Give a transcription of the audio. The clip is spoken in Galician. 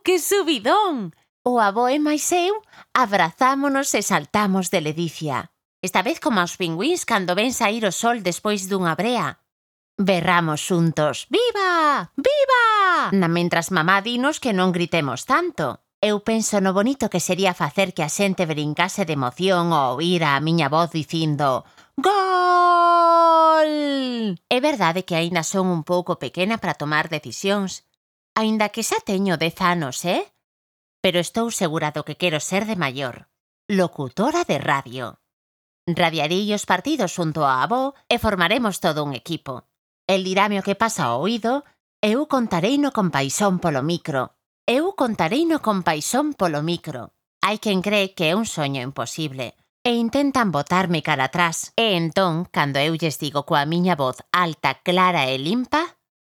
Que subidón! O avó e máis eu abrazámonos e saltamos de ledicia. Esta vez como aos pingüíns cando ven saír o sol despois dunha brea. Berramos xuntos, viva, viva! Mentras mamá dinos que non gritemos tanto. Eu penso no bonito que sería facer que a xente brincase de emoción ao oír a miña voz dicindo gol! É verdade que aínda son un pouco pequena para tomar decisións, aínda que xa teño 10 anos, pero estou segura do que quero ser de maior. Locutora de radio. Radiarei os partidos xunto ao avó e formaremos todo un equipo. El dirame o que pasa ao oído e eu contareino con paixón polo micro. Hai quen cree que é un soño imposible e intentan botarme cara atrás. E entón, cando eu lles digo coa miña voz alta, clara e limpa,